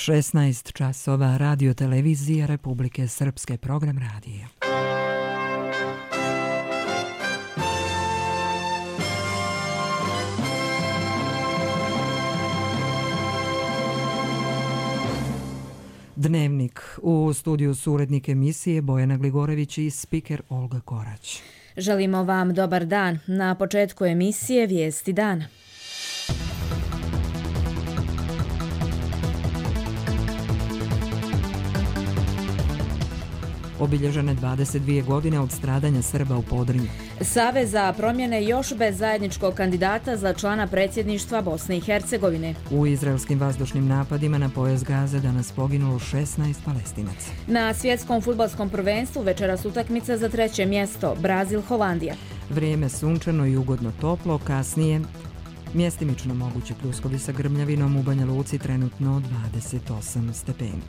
16 časova, Radio televizija Republike Srpske, program radija. Dnevnik. U studiju su urednik emisije Bojana Gligorević i spiker Olga Korać. Želimo vam dobar dan. Na početku emisije vijesti dana. Obilježene 22 godine od stradanja Srba u Podrinju. Savez za promjene još bez zajedničkog kandidata za člana predsjedništva Bosne i Hercegovine. U izraelskim vazdušnim napadima na pojas Gaze danas poginulo 16 Palestinaca. Na svjetskom fudbalskom prvenstvu večeras utakmica za 3. mjesto, Brazil-Holandija. Vrijeme sunčano i ugodno toplo, kasnije mjestimično mogući pljuskovi sa grmljavinom, u Banja Luci trenutno 28 stepeni.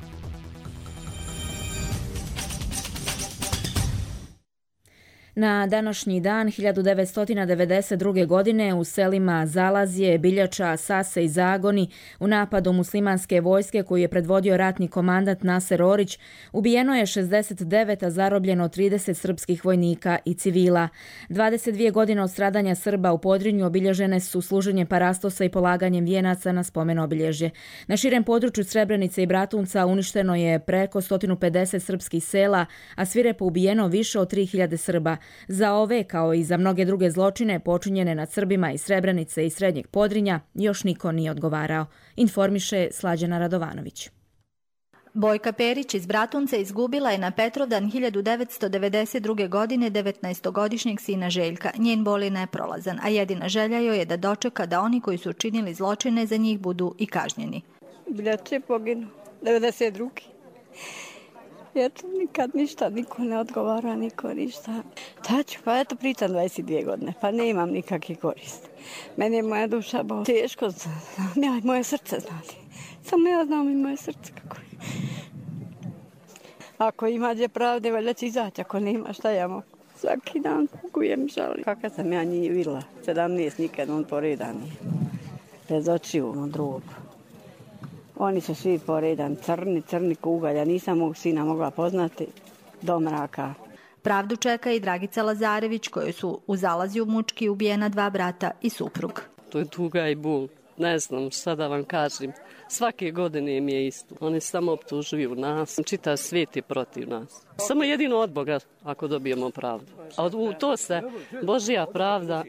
Na današnji dan 1992. godine u selima Zalazje, Biljača, Sase i Zagoni u napadu muslimanske vojske koju je predvodio ratni komandant Naser Orić ubijeno je 69, a zarobljeno 30 srpskih vojnika i civila. 22 godine od stradanja Srba u Podrinju obilježene su služenjem parastosa i polaganjem vijenaca na spomen obilježje. Na širem području Srebrenice i Bratunca uništeno je preko 150 srpskih sela, a svirepo ubijeno više od 3000 Srba. Za ove, kao i za mnoge druge zločine počinjene nad Srbima iz Srebrenice i Srednjeg Podrinja, još niko nije odgovarao, informiše Slađana Radovanović. Bojka Perić iz Bratunca izgubila je na Petrovdan 1992. godine 19-godišnjeg sina Željka. Njen bol je neprolazan, a jedina želja joj je da dočeka da oni koji su učinili zločine za njih budu i kažnjeni. Biljače poginu, 92. Eto, nikad ništa, niko ne odgovara, niko ništa. Taču, pa eto pričam 22 godine, pa ne imam nikakve koriste. Meni je moja duša teško, znam, moje srce znati. Samo ja znam i moje srce kako je. Ako imađe pravde, valjda će izaći, ako nema, šta ja mogu? Svaki dan kukujem, žalim. Kaka sam ja njih vidjela, 17 nikad on poredan nije. Bez očiju, on drugo. Oni su svi poredan, crni kugalj, ja nisam mog sina mogla poznati do mraka. Pravdu čeka i Dragica Lazarević, kojoj su u Zalazju mučki ubijena 2 brata i suprug. To je tuga i bol. Ne znam šta da vam kažem. Svake godine mi je isto. Oni samo optužuju nas. Čitav svijet je protiv nas. Samo jedino od Boga ako dobijemo pravdu. A u to se Božja pravda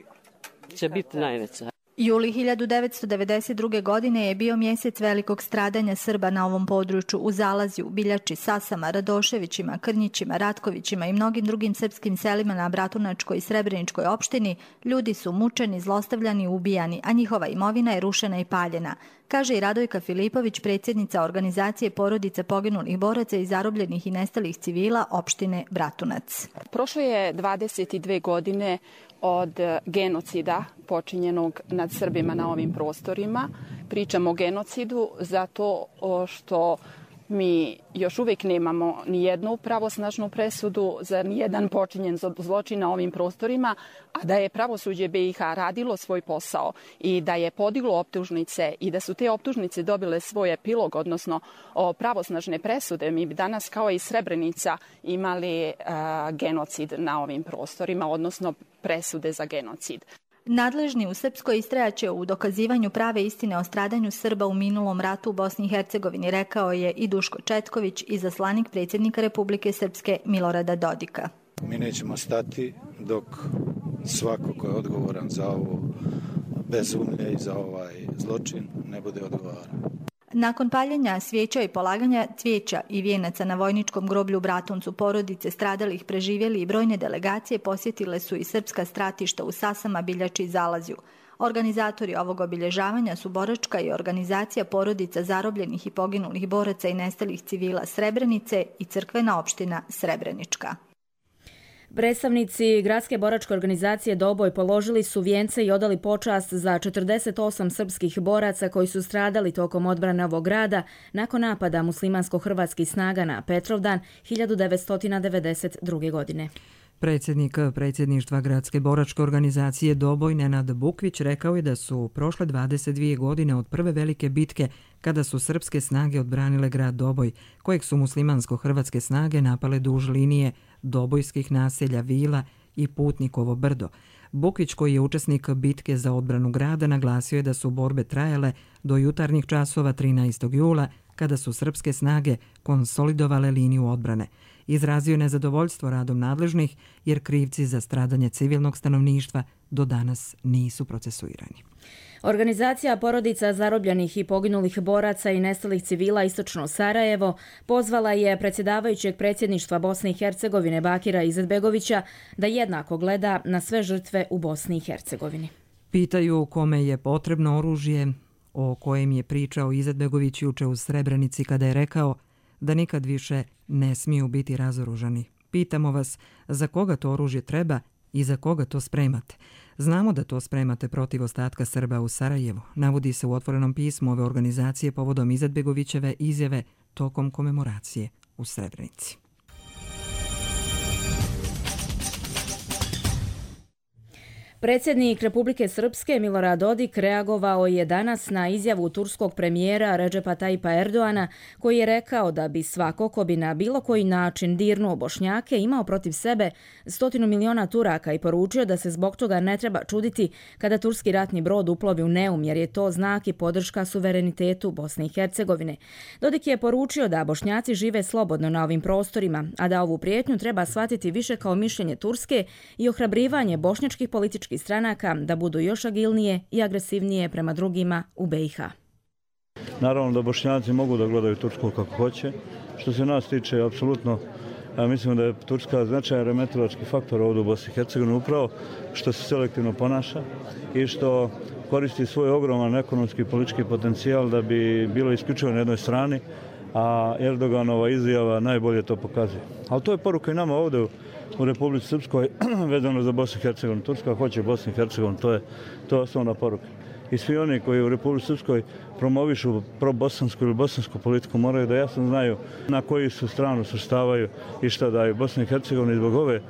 će biti najveća. Juli 1992. godine je bio mjesec velikog stradanja Srba na ovom području u Zalazju, Biljači, Sasama, Radoševićima, Krnjićima, Ratkovićima i mnogim drugim srpskim selima na Bratunačkoj i Srebreničkoj opštini. Ljudi su mučeni, zlostavljani, ubijani, a njihova imovina je rušena i paljena, kaže i Radojka Filipović, predsjednica organizacije porodica poginulih boraca i zarobljenih i nestalih civila opštine Bratunac. Prošlo je 22 godine od genocida počinjenog nad Srbima na ovim prostorima. Pričamo o genocidu zato što mi još uvijek nemamo ni jednu pravosnažnu presudu za nijedan počinjen zločin na ovim prostorima, a da je pravosuđe BiH radilo svoj posao i da je podiglo optužnice i da su te optužnice dobile svoj epilog, odnosno pravosnažne presude, mi bi danas kao i Srebrenica imali genocid na ovim prostorima, odnosno presude za genocid. Nadležni u Srpskoj istrajaće u dokazivanju prave istine o stradanju Srba u minulom ratu u Bosni i Hercegovini, rekao je i Duško Četković, izaslanik predsjednika Republike Srpske Milorada Dodika. Mi nećemo stati dok svako ko je odgovoran za ovo bezumlje i za ovaj zločin ne bude odgovaran. Nakon paljenja svijeća i polaganja cvijeća i vijenaca na vojničkom groblju u Bratuncu, porodice stradalih, preživjeli i brojne delegacije posjetile su i srpska stratišta u Sasama, Biljači i Zalazju. Organizatori ovog obilježavanja su boračka i organizacija porodica zarobljenih i poginulih boraca i nestalih civila Srebrenice i crkvena opština Srebrenička. Predstavnici Gradske boračke organizacije Doboj položili su vijence i odali počast za 48 srpskih boraca koji su stradali tokom odbrane ovog grada nakon napada muslimansko-hrvatskih snaga na Petrovdan 1992. godine. Predsjednik predsjedništva gradske boračke organizacije Doboj Nenad Bukvić rekao je da su prošle 22 godine od prve velike bitke kada su srpske snage odbranile grad Doboj, kojeg su muslimansko-hrvatske snage napale duž linije dobojskih naselja Vila i Putnikovo brdo. Bukvić, koji je učesnik bitke za odbranu grada, naglasio je da su borbe trajale do jutarnjih časova 13. jula, kada su srpske snage konsolidovale liniju odbrane. Izrazio je nezadovoljstvo radom nadležnih jer krivci za stradanje civilnog stanovništva do danas nisu procesuirani. Organizacija porodica zarobljenih i poginulih boraca i nestalih civila Istočno Sarajevo pozvala je predsjedavajućeg predsjedništva Bosne i Hercegovine Bakira Izetbegovića da jednako gleda na sve žrtve u Bosni i Hercegovini. Pitaju kome je potrebno oružje, o kojem je pričao Izetbegović juče u Srebrenici kada je rekao da nikad više ne smiju biti razoružani. Pitamo vas za koga to oružje treba i za koga to spremate. Znamo da to spremate protiv ostatka Srba u Sarajevu, navodi se u otvorenom pismu ove organizacije povodom Izetbegovićeve izjave tokom komemoracije u Srebrenici. Predsjednik Republike Srpske Milorad Dodik reagovao je danas na izjavu turskog premijera Redžepa Tajipa Erdoana, koji je rekao da bi svako ko bi na bilo koji način dirnuo Bošnjake imao protiv sebe 100 miliona Turaka i poručio da se zbog toga ne treba čuditi kada turski ratni brod uplovi u Neum, jer je to znak i podrška suverenitetu Bosne i Hercegovine. Dodik je poručio da Bošnjaci žive slobodno na ovim prostorima, a da ovu prijetnju treba shvatiti više kao mišljenje Turske i ohrabrivanje bošnjačkih političkih stranaka da budu još agilnije i agresivnije prema drugima u BiH. Naravno da Bošnjaci mogu da gledaju Tursku kako hoće. Što se nas tiče, apsolutno mislim da je Turska značajan remetilački faktor ovdje u Bosni i Hercegovini upravo što se selektivno ponaša i što koristi svoj ogroman ekonomski i politički potencijal da bi bilo isključivo na jednoj strani, a Erdoganova izjava najbolje to pokazuje. Ali to je poruka i nama ovdje u Republici Srpskoj vezano za Bosnu i Hercegovinu. Turska hoće Bosnu i Hercegovinu, to je osnovna poruka. I svi oni koji u Republici Srpskoj promovišu probosansku ili bosansku politiku moraju da jasno znaju na koju su stranu svrstavaju i šta daju. Bosna i Hercegovina zbog ove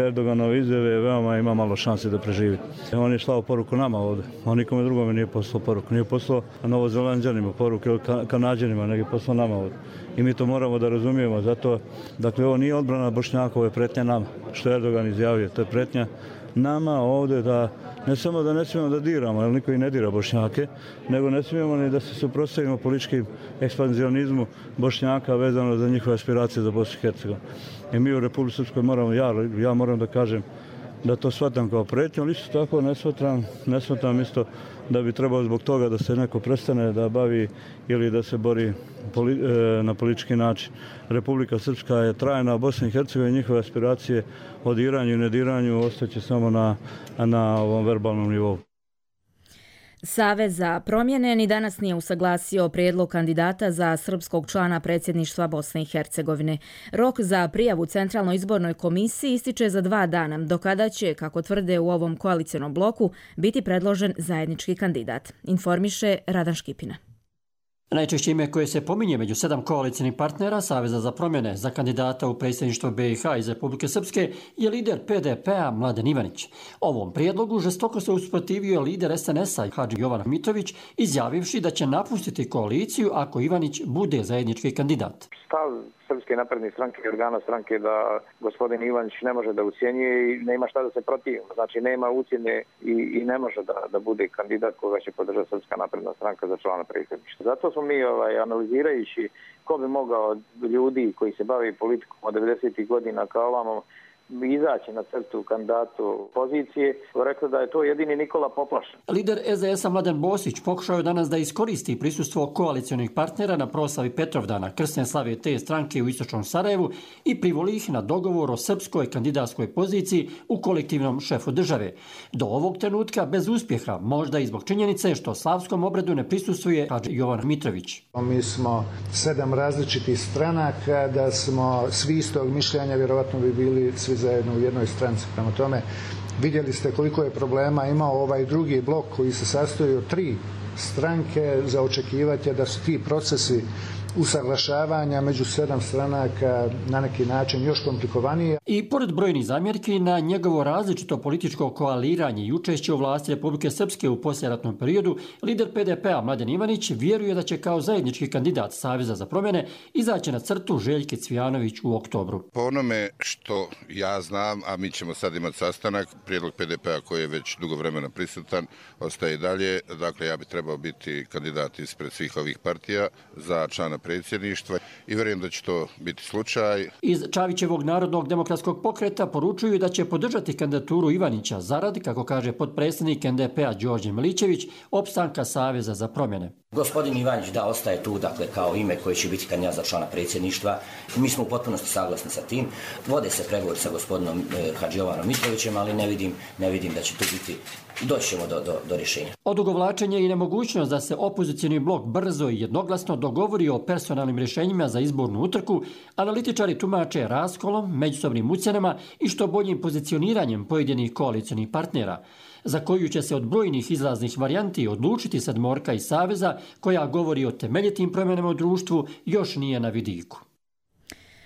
Erdoganove izjave veoma ima malo šanse da preživi. On je slao poruku nama ovdje. On nikome drugome nije poslao poruku. Nije poslao Novozelanđanima poruku ili Kanađanima, nego je poslao nama ovdje. I mi to moramo da razumijemo. Zato, dakle, ovo nije odbrana Bošnjaka, ovo je pretnja nama. Što je Erdogan izjavio, to je pretnja nama ovdje da ne samo da ne smijemo da diramo, jer niko i ne dira Bošnjake, nego ne smijemo ni da se suprotstavimo političkim ekspanzionizmu Bošnjaka vezano za njihove aspiracije za Bosnu i Hercegovinu. I mi u Republici Srpskoj moramo, ja moram da kažem da to shvatam kao pretnju, ali isto tako ne shvatam isto da bi trebao zbog toga da se neko prestane da bavi ili da se bori na politički način. Republika Srpska je trajna, Bosna i Hercegovina, njihove aspiracije o diranju i nediranju ostaće samo na ovom verbalnom nivou. Savez za promjene ni danas nije usaglasio prijedlog kandidata za srpskog člana predsjedništva Bosne i Hercegovine. Rok za prijavu Centralnoj izbornoj komisiji ističe za 2 dana, do kada će, kako tvrde u ovom koalicionom bloku, biti predložen zajednički kandidat, informiše Radan Škipina. Najčešće ime koje se pominje među 7 koalicijnih partnera Saveza za promjene za kandidata u predsjedništvo BiH iz Republike Srpske je lider PDP-a Mladen Ivanić. Ovom prijedlogu žestoko se usprotivio lider SNS-a Hadži Jovan Mitrović, izjavivši da će napustiti koaliciju ako Ivanić bude zajednički kandidat. Stav Srpske napredne stranke i organa stranke da gospodin Ivanić ne može da ucjenjuje i nema šta da se protivi. Znači nema ucjene i ne može da bude kandidat koga će podržati Srpska napredna stranka za člana predsjedništva. Zato smo mi analizirajući ko bi mogao ljudi koji se bave politikom od 90. godina kao ovamo izaći na crtu kandidatu pozicije, rekao da je to jedini Nikola Poplašen. Lider SDS-a Mladen Bosić pokušao je danas da iskoristi prisustvo koalicionih partnera na proslavi Petrovdana krsne slave te stranke u Istočnom Sarajevu i privoli ih na dogovor o srpskoj kandidatskoj poziciji u kolektivnom šefu države. Do ovog trenutka bez uspjeha, možda i zbog činjenice što slavskom obredu ne prisustvuje Hadži Jovan Mitrović. Mi smo 7 različitih stranaka, da smo svi istog mišljenja, vjerovatno bi bili svi zajedno u jednoj stranci. Prema tome, vidjeli ste koliko je problema imao ovaj drugi blok koji se sastoji od 3 stranke. Za očekivati je da su ti procesi usaglašavanja među 7 stranaka na neki način još komplikovanije. I pored brojnih zamjerki na njegovo različito političko koaliranje i učešće u vlasti Republike Srpske u poslijeratnom periodu, lider PDP-a Mladen Ivanić vjeruje da će kao zajednički kandidat Saveza za promjene izaći na crtu Željke Cvijanović u oktobru. Po onome što ja znam, a mi ćemo sad imati sastanak, prijedlog PDP-a koji je već dugo vremena prisutan, ostaje i dalje. Dakle, ja bi trebao biti kandidat ispred svih ovih partija za člana predsjedništva i vjerujem da će to biti slučaj. Iz Čavićevog narodnog demokratskog pokreta poručuju da će podržati kandidaturu Ivanića zarad, kako kaže potpredsjednik NDP-a Đorđe Milićević, opstanka Saveza za promjene. Gospodin Ivanić da ostaje tu, dakle, kao ime koje će biti kandidat za člana predsjedništva. Mi smo u potpunosti saglasni sa tim. Vode se pregovori sa gospodinom Hadžijovanom Mitrovićem, ali ne vidim da će tu biti, doći ćemo do rješenja. Odugovlačenje i nemogućnost da se opozicijni blok brzo i jednoglasno dogovori o personalnim rješenjima za izbornu utrku, analitičari tumače raskolom, međusobnim ucjenama i što boljim pozicioniranjem pojedinih koalicionih partnera, za koju će se od brojnih izlaznih varijanti odlučiti sedmorka iz Saveza, koja govori o temeljitim promjenama u društvu, još nije na vidiku.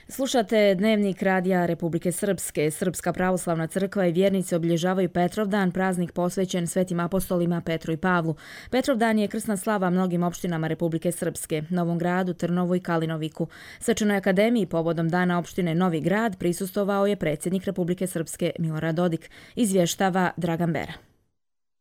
Slušate Dnevnik Radija Republike Srpske. Srpska pravoslavna crkva i vjernici obilježavaju Petrovdan, praznik posvećen svetim apostolima Petru i Pavlu. Petrovdan je krsna slava mnogim opštinama Republike Srpske, Novom Gradu, Trnovu i Kalinoviku. Svečanoj akademiji povodom dana opštine Novi Grad prisustvovao je predsjednik Republike Srpske Milorad Dodik, izvještava Dragan Bera.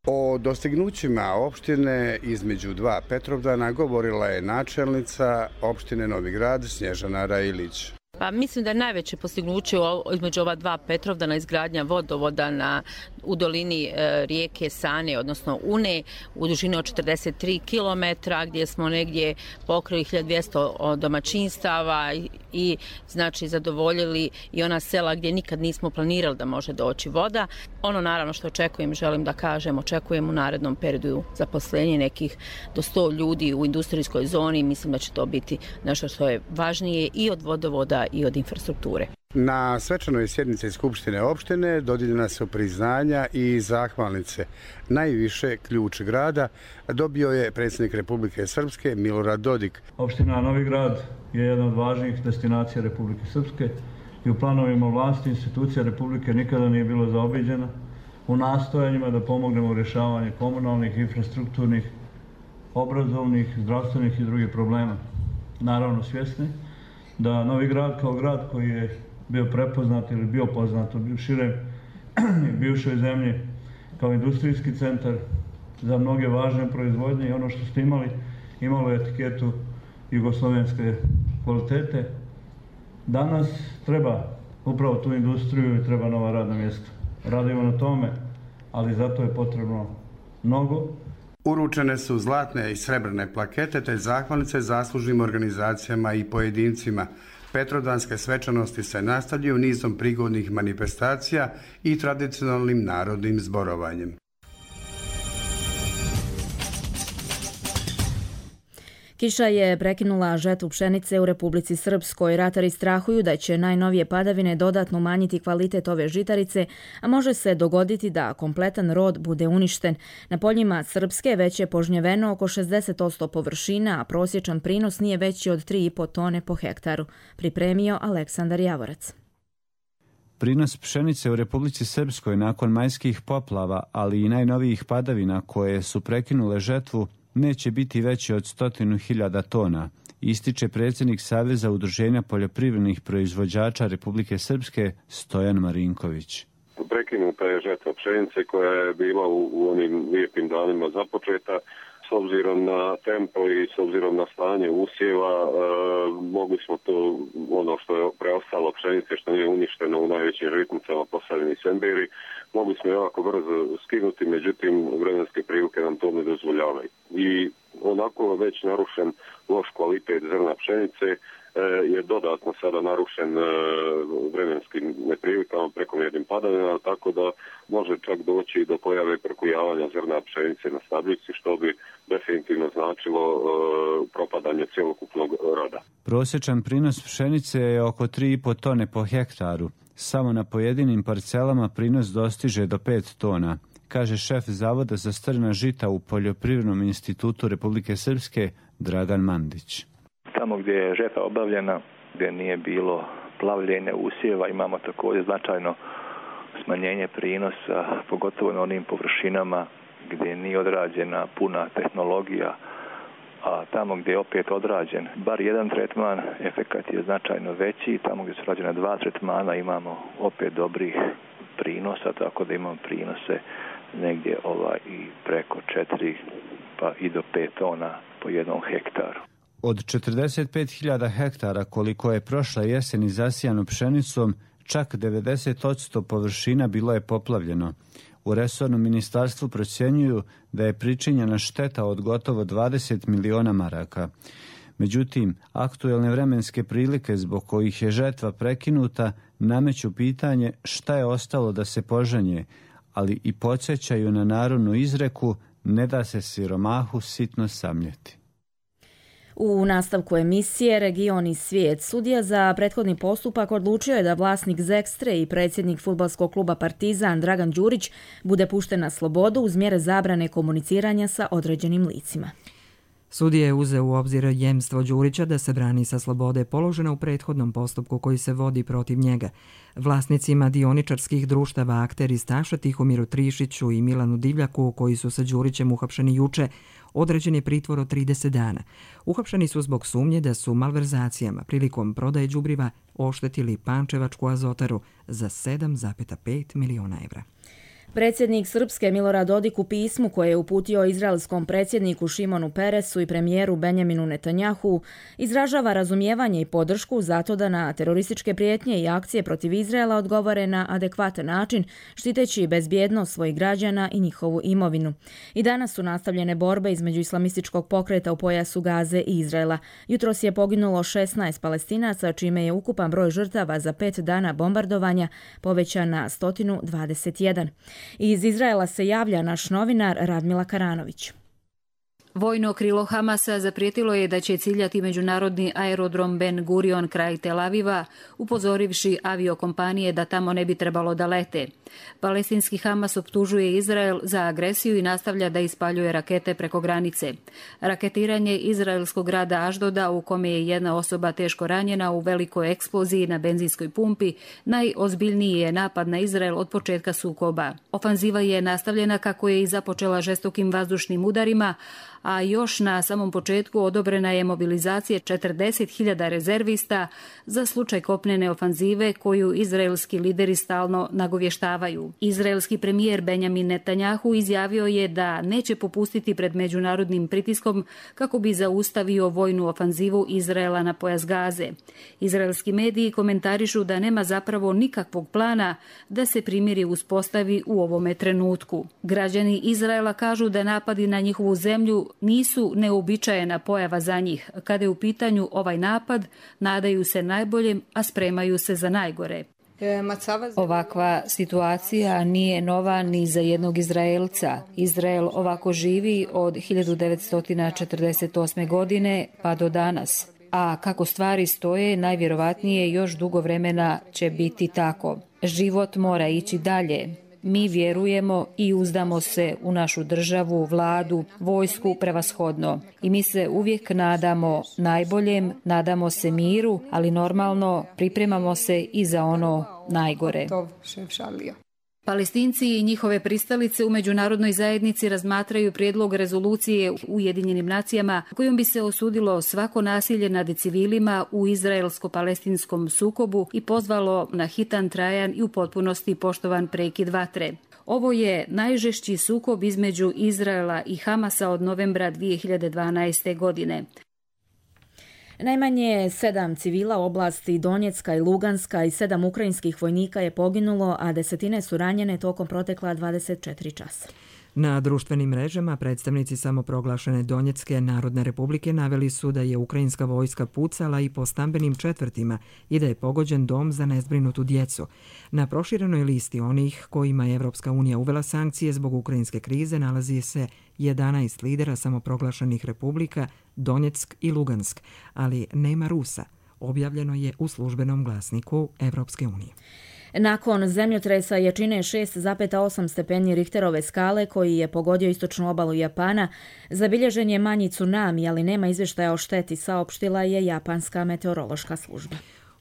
O dostignućima opštine između dva Petrovdana govorila je načelnica opštine Novi Grad Snježana Rajilić. Pa mislim da je najveće postignuće između ova dva Petrovdana izgradnja vodovoda u dolini rijeke Sane, odnosno Une, u dužini od 43 km, gdje smo negdje pokrili 1200 domaćinstava i znači zadovoljili i ona sela gdje nikad nismo planirali da može doći voda. Ono naravno što očekujem, želim da kažem, očekujem u narednom periodu zaposlenje nekih do 100 ljudi u industrijskoj zoni. Mislim da će to biti nešto što je važnije i od vodovoda i od infrastrukture. Na svečanoj sjednici Skupštine opštine dodijeljena su priznanja i zahvalnice. Najviše ključ grada dobio je predsjednik Republike Srpske Milorad Dodik. Opština Novi Grad je jedna od važnijih destinacija Republike Srpske i u planovima vlasti institucija Republike nikada nije bilo zaobiđena u nastojanjima da pomognemo u rješavanju komunalnih, infrastrukturnih, obrazovnih, zdravstvenih i drugih problema. Naravno svjesni da Novi Grad kao grad koji je bio prepoznat ili bio poznat u širem bivšoj zemlji kao industrijski centar za mnoge važne proizvodnje i ono što ste imalo je etiketu jugoslovenske kvalitete. Danas treba upravo tu industriju i treba nova radna mjesta. Radimo na tome, ali zato je potrebno mnogo. Uručene su zlatne i srebrne plakete te zahvalnice zaslužnim organizacijama i pojedincima. Petrovdanske svečanosti se nastavljaju nizom prigodnih manifestacija i tradicionalnim narodnim zborovanjem. Kiša je prekinula žetvu pšenice u Republici Srpskoj. Ratari strahuju da će najnovije padavine dodatno umanjiti kvalitet ove žitarice, a može se dogoditi da kompletan rod bude uništen. Na poljima Srpske već je požnjeveno oko 60% površina, a prosječan prinos nije veći od 3,5 tone po hektaru. Pripremio Aleksandar Javorac. Prinos pšenice u Republici Srpskoj nakon majskih poplava, ali i najnovijih padavina koje su prekinule žetvu, neće biti veći od 100.000 tona, ističe predsjednik Saveza udruženja poljoprivrednih proizvođača Republike Srpske Stojan Marinković. Prekinuta je žetva pšenice koja je bila u onim lijepim danima započeta. S obzirom na tempo i s obzirom na stanje usjeva, mogli smo to, ono što je preostalo pšenice, što nije uništeno u najvećim žitnicama Posavini i Semberi, mogli smo jako brzo skinuti, međutim vremenske prilike nam to ne dozvoljavaju. I onako već narušen loš kvalitet zrna pšenice je dodatno sada narušen vremenskim neprilikama, prekomjernim padavinama, tako da može čak doći do pojave prokujavanja zrna pšenice na stabljici, što bi definitivno značilo propadanje cjelokupnog roda. Prosječan prinos pšenice je oko 3,5 tone po hektaru. Samo na pojedinim parcelama prinos dostiže do 5 tona, kaže šef Zavoda za strna žita u Poljoprivrednom institutu Republike Srpske Dragan Mandić. Tamo gdje je žetva obavljena, gdje nije bilo plavljenja usjeva, imamo također značajno smanjenje prinosa, pogotovo na onim površinama gdje nije odrađena puna tehnologija, a tamo gdje je opet odrađen bar jedan tretman, efekat je značajno veći. Tamo gdje su rađena 2 tretmana imamo opet dobrih prinosa, tako da imamo prinose negdje i preko 4 pa i do 5 tona po jednom hektaru. Od 45.000 hektara koliko je prošla jeseni zasijano pšenicom, čak 90% površina bilo je poplavljeno. U resornom ministarstvu procjenjuju da je pričinjena šteta od gotovo 20 miliona maraka. Međutim, aktuelne vremenske prilike zbog kojih je žetva prekinuta nameću pitanje šta je ostalo da se požanje, ali i podsjećaju na narodnu izreku ne da se siromahu sitno samljeti. U nastavku emisije Region i svijet, sudija za prethodni postupak odlučio je da vlasnik Zekstre i predsjednik fudbalskog kluba Partizan Dragan Đurić bude pušten na slobodu uz mjere zabrane komuniciranja sa određenim licima. Sudija je uzeo u obzir jemstvo Đurića da se brani sa slobode položena u prethodnom postupku koji se vodi protiv njega. Vlasnicima dioničarskih društava Akteri Staša, Tihomiru Trišiću i Milanu Divljaku, koji su sa Đurićem uhapšeni juče, određen je pritvor od 30 dana. Uhapšeni su zbog sumnje da su malverzacijama prilikom prodaje đubriva oštetili Pančevačku azotaru za 7,5 miliona evra. Predsjednik Srpske Milorad Dodik u pismu koje je uputio izraelskom predsjedniku Šimonu Peresu i premijeru Benjaminu Netanjahu izražava razumijevanje i podršku zato da na terorističke prijetnje i akcije protiv Izraela odgovore na adekvatan način, štiteći bezbjednost svojih građana i njihovu imovinu. I danas su nastavljene borbe između islamističkog pokreta u pojasu Gaze i Izraela. Jutros je poginulo 16 Palestinaca, čime je ukupan broj žrtava za 5 dana bombardovanja povećan na 121. Iz Izraela se javlja naš novinar Radmila Karanović. Vojno krilo Hamasa zaprijetilo je da će ciljati međunarodni aerodrom Ben Gurion kraj Tel Aviva, upozorivši aviokompanije da tamo ne bi trebalo da lete. Palestinski Hamas optužuje Izrael za agresiju i nastavlja da ispaljuje rakete preko granice. Raketiranje izraelskog grada Aždoda, u kome je jedna osoba teško ranjena u velikoj eksploziji na benzinskoj pumpi, najozbiljniji je napad na Izrael od početka sukoba. Ofanziva je nastavljena kako je i započela žestokim vazdušnim udarima, a još na samom početku odobrena je mobilizacija 40.000 rezervista za slučaj kopnene ofanzive koju izraelski lideri stalno nagovještavaju. Izraelski premijer Benjamin Netanjahu izjavio je da neće popustiti pred međunarodnim pritiskom kako bi zaustavio vojnu ofanzivu Izraela na pojas Gaze. Izraelski mediji komentarišu da nema zapravo nikakvog plana da se primirje uspostavi u ovome trenutku. Građani Izraela kažu da napadi na njihovu zemlju nisu neuobičajena pojava za njih. Kada je u pitanju ovaj napad, nadaju se najboljem, a spremaju se za najgore. Ovakva situacija nije nova ni za jednog Izraelca. Izrael ovako živi od 1948. godine pa do danas. A kako stvari stoje, najvjerovatnije još dugo vremena će biti tako. Život mora ići dalje. Mi vjerujemo i uzdamo se u našu državu, vladu, vojsku prevashodno. I mi se uvijek nadamo najboljem, nadamo se miru, ali normalno pripremamo se i za ono najgore. Palestinci i njihove pristalice u međunarodnoj zajednici razmatraju prijedlog rezolucije u Ujedinjenim nacijama kojom bi se osudilo svako nasilje nad civilima u izraelsko-palestinskom sukobu i pozvalo na hitan, trajan i u potpunosti poštovan prekid vatre. Ovo je najžešći sukob između Izraela i Hamasa od novembra 2012. godine. Najmanje 7 civila u oblasti Donjecka i Luganska i 7 ukrajinskih vojnika je poginulo, a desetine su ranjene tokom protekla 24 časa. Na društvenim mrežama predstavnici samoproglašene Donjecke Narodne republike naveli su da je ukrajinska vojska pucala i po stambenim četvrtima i da je pogođen dom za nezbrinutu djecu. Na proširenoj listi onih kojima je Evropska unija uvela sankcije zbog ukrajinske krize nalazi se 11 lidera samoproglašenih republika Donjeck i Lugansk, ali nema Rusa. Objavljeno je u službenom glasniku Evropske unije. Nakon zemljotresa jačine 6,8 stepeni Richterove skale koji je pogodio istočnu obalu Japana, zabilježen je manji tsunami, ali nema izvještaja o šteti, saopštila je japanska meteorološka služba.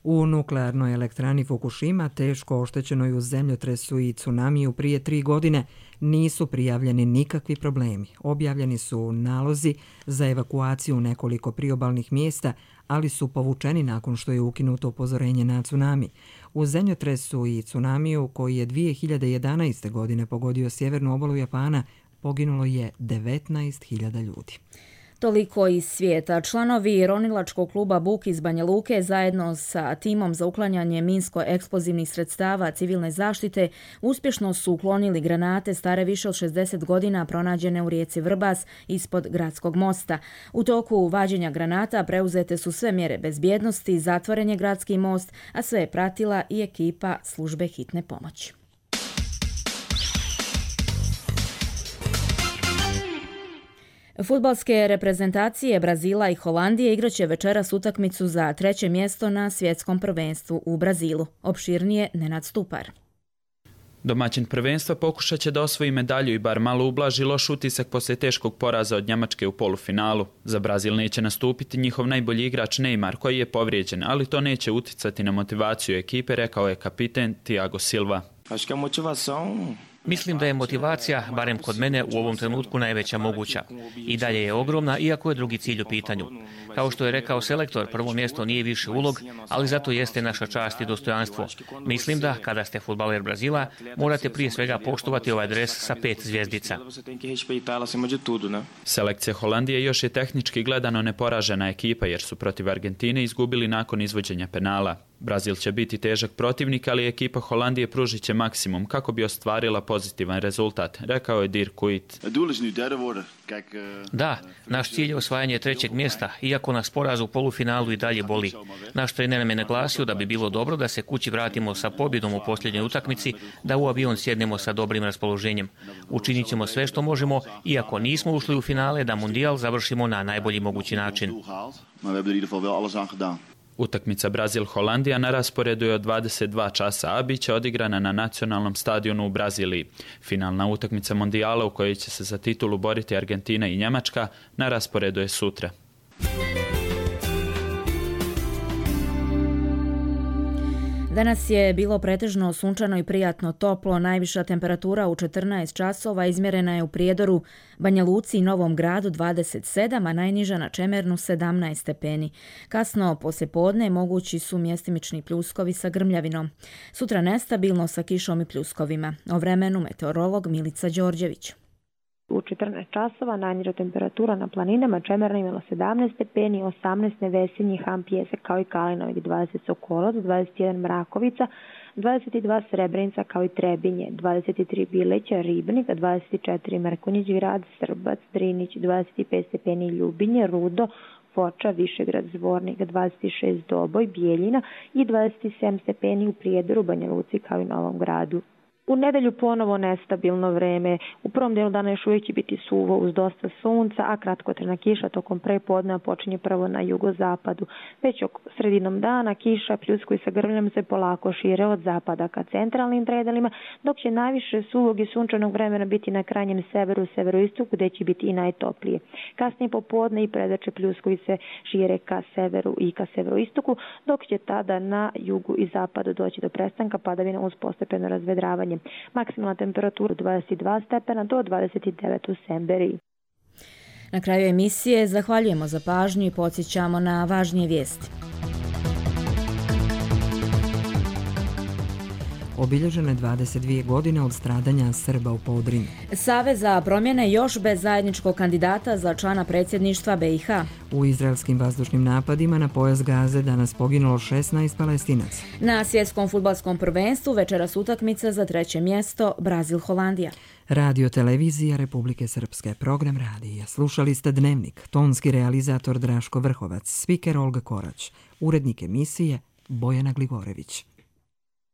U nuklearnoj elektrani Fukushima, teško oštećenoj u zemljotresu i tsunamiju prije 3 godine, nisu prijavljeni nikakvi problemi. Objavljeni su nalozi za evakuaciju nekoliko priobalnih mjesta, ali su povučeni nakon što je ukinuto upozorenje na tsunami. U zemljotresu i tsunamiju koji je 2011. godine pogodio sjevernu obalu Japana, poginulo je 19.000 ljudi. Toliko iz svijeta. Članovi ronilačkog kluba Buk iz Banja Luke zajedno sa timom za uklanjanje minsko-eksplozivnih sredstava civilne zaštite uspješno su uklonili granate stare više od 60 godina pronađene u rijeci Vrbas ispod gradskog mosta. U toku vađenja granata preuzete su sve mjere bezbjednosti, zatvoren je gradski most, a sve je pratila i ekipa službe hitne pomoći. Fudbalske reprezentacije Brazila i Holandije igraće večeras utakmicu za 3. mjesto na svjetskom prvenstvu u Brazilu. Opširnije Nenad Stupar. Domaćin prvenstva pokušat će da osvoji medalju i bar malo ublaži loš utisak poslije teškog poraza od Njemačke u polufinalu. Za Brazil neće nastupiti njihov najbolji igrač Neymar koji je povrijeđen, ali to neće uticati na motivaciju ekipe, rekao je kapiten Thiago Silva. Mislim da je motivacija, barem kod mene, u ovom trenutku najveća moguća. I dalje je ogromna, iako je drugi cilj u pitanju. Kao što je rekao selektor, prvo mjesto nije više ulog, ali zato jeste naša čast i dostojanstvo. Mislim da, kada ste fudbaler Brazila, morate prije svega poštovati ovaj dres sa 5 zvjezdica. Selekcija Holandije još je tehnički gledano neporažena ekipa, jer su protiv Argentine izgubili nakon izvođenja penala. Brazil će biti težak protivnik, ali ekipa Holandije pružit će maksimum kako bi ostvarila pozitivan rezultat, rekao je Dirk Kuyt. Da, naš cilj je osvajanje 3. mjesta, iako nas poraz u polufinalu i dalje boli. Naš trener nam je naglasio da bi bilo dobro da se kući vratimo sa pobjedom u posljednjoj utakmici, da u avion sjednemo sa dobrim raspoloženjem. Učinit ćemo sve što možemo, iako nismo ušli u finale, da mundijal završimo na najbolji mogući način. Utakmica Brazil-Holandija na rasporedu je od 22 časa, a bit će odigrana na nacionalnom stadionu u Braziliji. Finalna utakmica mondijala u kojoj će se za titulu boriti Argentina i Njemačka na rasporedu je sutra. Danas je bilo pretežno sunčano i prijatno toplo. Najviša temperatura u 14 časova izmjerena je u Prijedoru, Banja Luci i Novom Gradu 27, a najniža na Čemernu 17 stepeni. Kasno poslijepodne mogući su mjestimični pljuskovi sa grmljavinom. Sutra nestabilno sa kišom i pljuskovima. O vremenu meteorolog Milica Đorđević. U 14 časova najniža temperatura na planinama Čemerna imala 17 stepeni, 18 Nevesinji, Ham, Pjesak kao i Kalinovik, 20 Sokolac, 21 Mrakovica, 22 Srebrenica kao i Trebinje, 23 Bileća, Ribnik, 24 Mrkonjić Grad, Srbac, Drinić, 25 stepeni Ljubinje, Rudo, Foča, Višegrad, Zvornik, 26 Doboj, Bijeljina i 27 stepeni u Prijedoru, Banja Luci kao i Novom Gradu. U nedelju ponovo nestabilno vreme. U prvom delu dana još uvijek će biti suvo uz dosta sunca, a kratkotrajna kiša tokom prepodneva počinje prvo na jugozapadu. Već sredinom dana kiša pljuskovi sa grmljom se polako šire od zapada ka centralnim predelima, dok će najviše suvog i sunčanog vremena biti na krajnjem severu, severoistoku, gdje će biti i najtoplije. Kasnije popodne i predače pljuskovi se šire ka severu i ka severoistoku, dok će tada na jugu i zapadu doći do prestanka padavina uz postepeno razvedravanje. Maksimalna temperatura 22 stepena do 29 u Semberiji. Na kraju emisije zahvaljujemo za pažnju i podsjećamo na važnije vijesti. Obilježene 22 godine od stradanja Srba u Podrinju. Savez za promjene još bez zajedničkog kandidata za člana predsjedništva BiH. U izraelskim vazdušnim napadima na pojas Gaze danas poginulo 16 Palestinaca. Na svjetskom fudbalskom prvenstvu večeras utakmica za 3. mjesto Brazil-Holandija. Radio Televizija Republike Srpske, program radija. Slušali ste Dnevnik, tonski realizator Draško Vrhovac, spiker Olga Korać, urednik emisije Bojana Glivorević.